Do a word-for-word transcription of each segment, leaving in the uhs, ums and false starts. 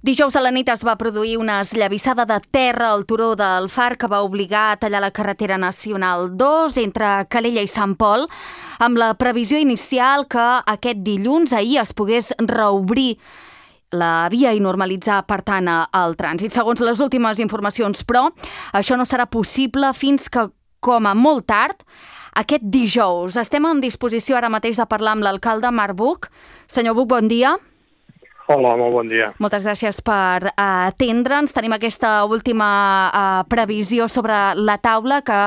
Dijous a la nit es va produir una esllavissada de terra al turó del Far que va obligar a tallar la carretera nacional dos entre Calella i Sant Pol, amb la previsió inicial que aquest dilluns ahir es pogués reobrir la via i normalitzar, per tant, el trànsit. Segons les últimes informacions, però, això no serà possible fins que, com a molt tard, aquest dijous. Estem en disposició ara mateix de parlar amb l'alcalde Marc Buch. Senyor Buch, bon dia. Hola, molt bon dia. Moltes gràcies per uh, atendre'ns. Tenim aquesta última uh, previsió sobre la taula que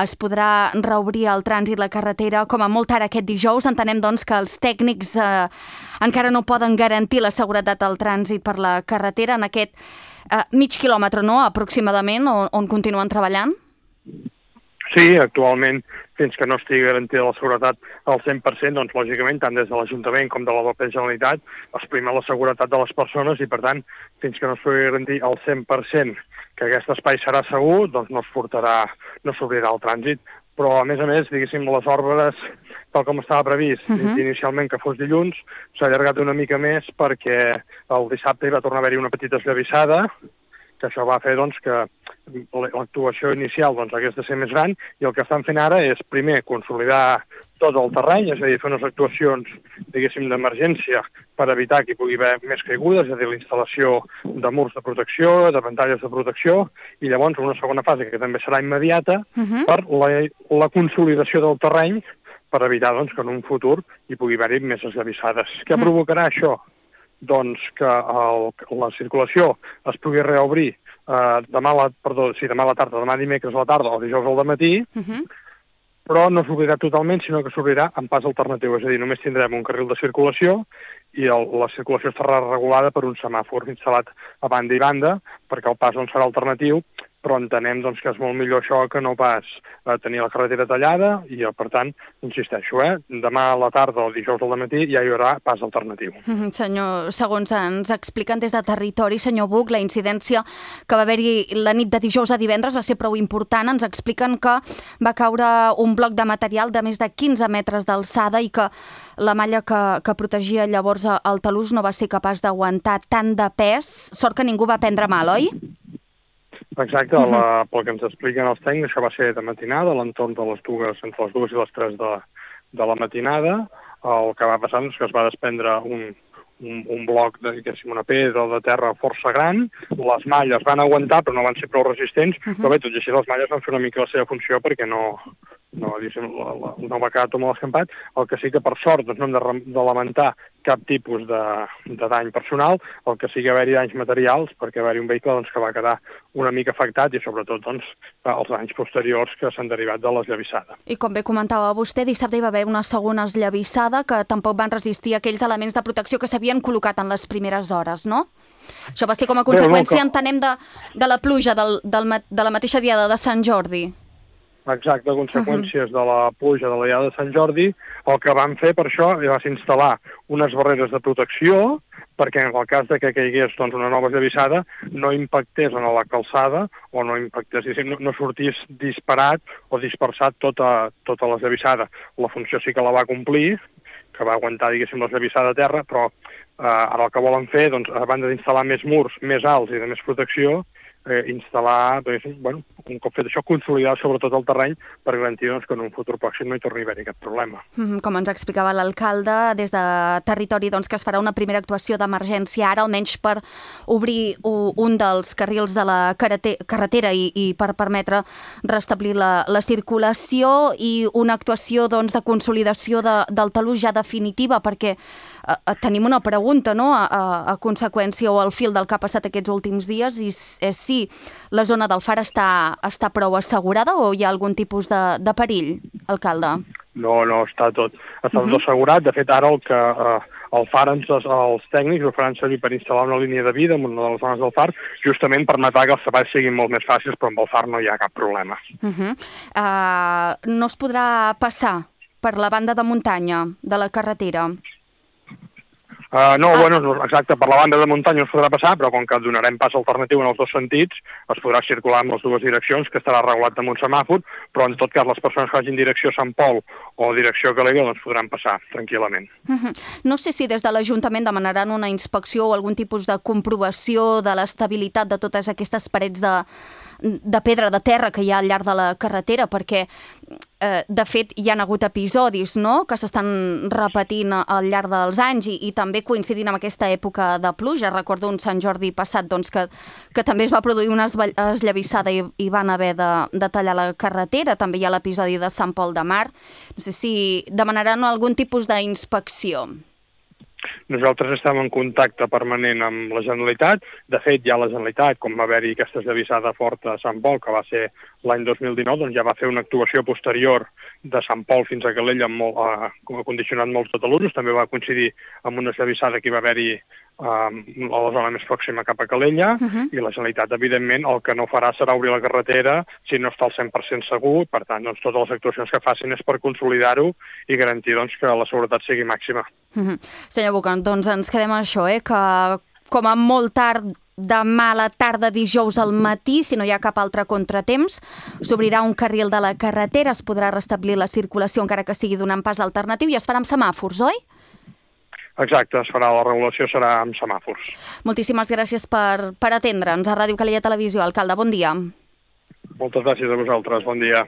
es podrà reobrir el trànsit, la carretera, com a molt tard aquest dijous. Entenem, doncs, que els tècnics uh, encara no poden garantir la seguretat del trànsit per la carretera en aquest uh, mig quilòmetre, no?, aproximadament, on, on continuen treballant? Sí, actualment, fins que no estigui garantida la seguretat al cent per cent, doncs, lògicament, tant des de l'Ajuntament com de la mateixa Generalitat, es prima la seguretat de les persones i, per tant, fins que no es pugui garantir al cent per cent que aquest espai serà segur, doncs no es portarà, no s'obrirà el trànsit. Però, a més a més, diguéssim, les obres, tal com estava previst, uh -huh. inicialment que fos dilluns, s'ha allargat una mica més perquè el dissabte hi va tornar a haver-hi una petita esllavissada, que això va fer, doncs, que l'actuació inicial doncs, hagués de ser més gran, i el que estan fent ara és, primer, consolidar tot el terreny, és a dir, fer unes actuacions, diguéssim, d'emergència per evitar que hi pugui haver més caigudes, és a dir, la instal·lació de murs de protecció, de pantalles de protecció, i llavors una segona fase, que també serà immediata, uh-huh. per la, la consolidació del terreny, per evitar, doncs, que en un futur hi pugui haver-hi més esllavissades. Què uh-huh. provocarà això? Doncs que el, la circulació es pugui reobrir eh, demà, la, perdó, sí, demà a la tarda, demà dimecres a la tarda o dijous al matí, uh-huh. però no s'obrirà totalment, sinó que s'obrirà en pas alternatiu, és a dir, només tindrem un carril de circulació i el, la circulació estarà regulada per un semàfor instal·lat a banda i banda, perquè el pas doncs, serà alternatiu, però entenem doncs, que és molt millor això que no pas eh, tenir la carretera tallada i, per tant, insisteixo, eh, demà a la tarda o dijous al matí ja hi haurà pas alternatiu. Mm-hmm, senyor, segons ens expliquen des de territori, senyor Buch, la incidència que va haver-hi la nit de dijous a divendres va ser prou important. Ens expliquen que va caure un bloc de material de més de quinze metres d'alçada i que la malla que, que protegia llavors el talús no va ser capaç d'aguantar tant de pes. Sort que ningú va prendre mal, oi? Exacte, uh-huh. la, pel que ens expliquen els tècnics, això va ser de matinada, a l'entorn de les dues, entre les dues i les tres de, de la matinada. El que va passar és que es va desprendre un, un, un bloc, de, diguéssim, una pedra de terra força gran, les malles van aguantar però no van ser prou resistents, uh-huh. però bé, tot i així les malles van fer una mica la seva funció perquè no, no, diguéssim, la, la, no va quedar tot molt escampat. El que sí que, per sort, doncs no hem de, de lamentar cap tipus de, de dany personal, el que sí que haver-hi danys materials, perquè haver-hi un vehicle doncs, que va quedar una mica afectat i, sobretot, doncs, els danys posteriors que s'han derivat de l'esllavissada. I com bé comentava vostè, dissabte hi va haver una segona esllavissada que tampoc van resistir aquells elements de protecció que s'havien col·locat en les primeres hores, no? Això va ser com a conseqüència, Bé, no, que... entenem, de, de la pluja del, del, de la mateixa diada de Sant Jordi. Exacte, conseqüències uh-huh. de la pluja de la diada de Sant Jordi. El que van fer per això va ser instal·lar unes barreres de protecció perquè en el cas de que caigués doncs, una nova esllavissada no impactés en la calçada o no impactés, no, no sortís disparat o dispersat tota, tota l'esllavissada. La funció sí que la va complir, que va aguantar, diguéssim, l'esllavissada a terra, però eh, ara el que volen fer, doncs, a banda d'instal·lar més murs més alts i de més protecció, eh, instal·lar, bueno, un cop fet això, consolidar sobretot el terreny per garantir doncs, que en un futur pròxim no hi torni a haver cap problema. Mm, com ens explicava l'alcalde, des de territori doncs, que es farà una primera actuació d'emergència ara, almenys per obrir un dels carrils de la carretera i, i per permetre restablir la, la circulació, i una actuació doncs, de consolidació de, del talús ja definitiva, perquè eh, tenim una pregunta, no?, a, a, a conseqüència o al fil del que ha passat aquests últims dies, i és si la zona del Far està, està prou assegurada o hi ha algun tipus de, de perill, alcalde? No, no, està tot, està tot uh-huh. assegurat. De fet, ara el que eh, el Far, ens, els tècnics ho faran servir per instal·lar una línia de vida en una de les zones del Far, justament per matar que els treballs siguin molt més fàcils, però amb el Far no hi ha cap problema. Uh-huh. uh, no es podrà passar per la banda de muntanya de la carretera? Uh, no, ah. bueno, exacte, per la banda de muntanya es podrà passar, però com que donarem pas alternatiu en els dos sentits, es podrà circular en les dues direccions, que estarà regulat amb un semàfor, però en tot cas les persones que vagin direcció a Sant Pol o direcció a Calella doncs podran passar tranquil·lament. Uh-huh. No sé si des de l'Ajuntament demanaran una inspecció o algun tipus de comprovació de l'estabilitat de totes aquestes parets de, de pedra, de terra que hi ha al llarg de la carretera, perquè eh, de fet hi ha hagut episodis, no?, que s'estan repetint al llarg dels anys i, i també coincidint amb aquesta època de pluja. Recordo un Sant Jordi passat doncs, que, que també es va produir una esllavissada i, i van haver de, de tallar la carretera. També hi ha l'episodi de Sant Pol de Mar. No sé si demanaran algun tipus d'inspecció. Nosaltres estem en contacte permanent amb la Generalitat. De fet, ja la Generalitat, com va haver-hi aquesta esllavissada forta a Sant Pol, que va ser l'any dos mil dinou, doncs ja va fer una actuació posterior de Sant Pol fins a Calella, amb molt, uh, condicionant molts tot l'usos. També va coincidir amb una esllavissada que hi va haver-hi uh, a la zona més pròxima cap a Calella, uh-huh. i la Generalitat, evidentment, el que no farà serà obrir la carretera si no està al cent per cent segur. Per tant, doncs, totes les actuacions que facin és per consolidar-ho i garantir doncs, que la seguretat sigui màxima. Uh-huh. Senyor Bucan, doncs ens quedem amb això, eh? que com a molt tard demà a la tarda, dijous al matí, si no hi ha cap altre contratemps, s'obrirà un carril de la carretera, es podrà restablir la circulació encara que sigui donant pas alternatiu i es farà amb semàfors, oi? Exacte, es farà, la regulació serà amb semàfors. Moltíssimes gràcies per, per atendre'ns a Ràdio Calella Televisió. Alcalde, bon dia. Moltes gràcies a vosaltres, bon dia.